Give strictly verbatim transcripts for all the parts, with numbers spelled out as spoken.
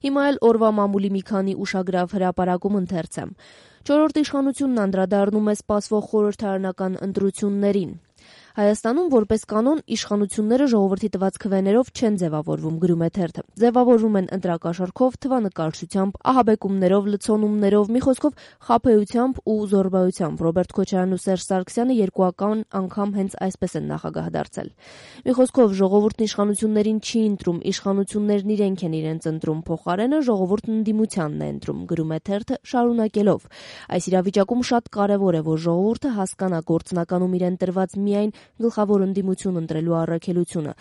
Հիմա էլ օրվա մամուլի մի քանի ուշագրավ հրապարակում ընթերցեմ։ Չորրորդ իշխանությունն անդրադառնում է սպասվող խորհրդարանական ընտրություններին։ Հայաստանում որպես կանոն իշխանությունները ժողովրդի տված քվեներով չեն ձևավորվում, գրում է թերթը։ Ձևավորվում են ընտրակաշառքով, թվանկարչությամբ, ահաբեկումներով, լցոնումներով, մի խոսքով խաբեությամբ ու զոռբայությամբ։ Ռոբերտ Քոչարյանն ու Սերժ Սարգսյանը երկուական անգամ հենց այսպես են նախագահ դարձել։ Մի խոսքով ժողովուրդն իշխանություններին չի ընտրում, իշխանություններն իրենք են իրենց ընտրում, փոխարենը ժողովուրդն ընդդիմությանն է ընտրում, գրում է թերթը շարունակելով։ Այս իրավիճակում շատ կարևոր է, որ ժողովուրդը հասկանա գործնականում իրեն տրված միայն գլխավոր ընդդիմություն ընտրելու առաքելությունը։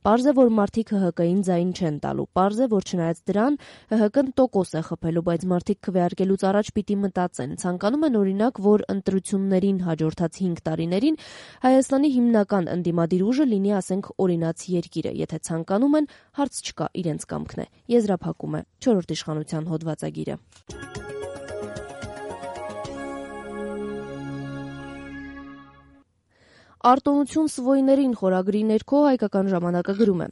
Պարզ է, որ մարդիկ ՀՀԿ-ին ձայն չեն տալու։ Պարզ է, որ չնայած դրան ՀՀԿ-ն տոկոս է խփելու, բայց մարդիկ քվեարկելուց առաջ պիտի մտածեն։ Ցանկանում են օրինակ, որ ընտրություններին հաջորդած հինգ տարիներին Հայաստանի հիմնական ընդդիմադիր ուժը լինի, ասենք, օրինաց երկիրը։ Եթե ցանկանում են, հարց չկա, իրենց կամքն է։ Եզրափակում է չորրորդ իշխանության հոդվածագիրը։ Արտոնություն սվոյներին խորագրի ներքո Հայկական ժամանակը գրում է.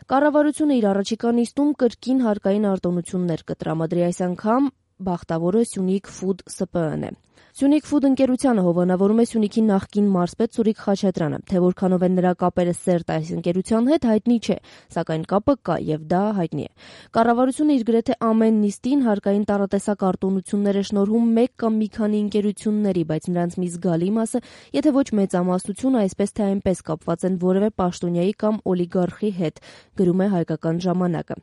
Կառավարությունը իր առաջիկա նիստում կրկին հարկային արտոնություններ կտրամադրի, այս անգամ բախտավորը Սյունիք Ֆուդ Ս Պ Ն է։ Սյունիք Ֆուդ ընկերությանը հովանավորում է Սյունիքի նախկին մարզպետ Սուրիկ Խաչատրյանը, թե որքանով են նրա կապերը սերտ այս ընկերության հետ հայտնի չէ, սակայն կապը կա եւ դա հայտնի է։ Կառավարությունը իր գրեթե ամեն նիստին հարկային տարատեսակ արտոնություններ է շնորհում մեկ կամ մի քանի ընկերությունների, բայց նրանց մի զգալի մասը, եթե ոչ մեծամասնությունը, այսպես թե այնպես կապված են որևէ պաշտոնյայի կամ օլիգարխի հետ, գրում է Հայկական ժամանակը։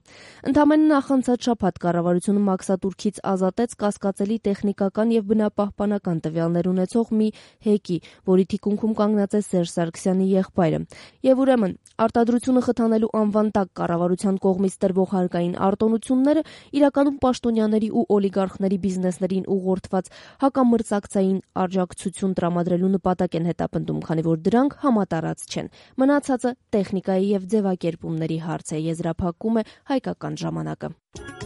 Ընդամենը նախանցած շաբաթ կառավարությունը մաքսատուրքից ազատեց կասկածելի տեխնիկական եւ բնապահպանական տվյալներ ունեցող մի հեկի, որի թիկունքում կանգնած է Սերժ Սարգսյանի եղբայրը։ Եվ ուրեմն արտադրությունը խթանելու անվան տակ կառավարության կողմից տրվող հարկային արտոնությունները իրականում պաշտոնյաների ու օլիգարխների բիզնեսներին ուղղորդված հակամրցակցային աջակցություն տրամադրելու նպատակ են հետապնդում, քանի որ դրանք համատարած չեն։ Մնացածը տեխնիկայի եւ ձևակերպումների հարց է, եզրափակում է Հայկական ժամանակը։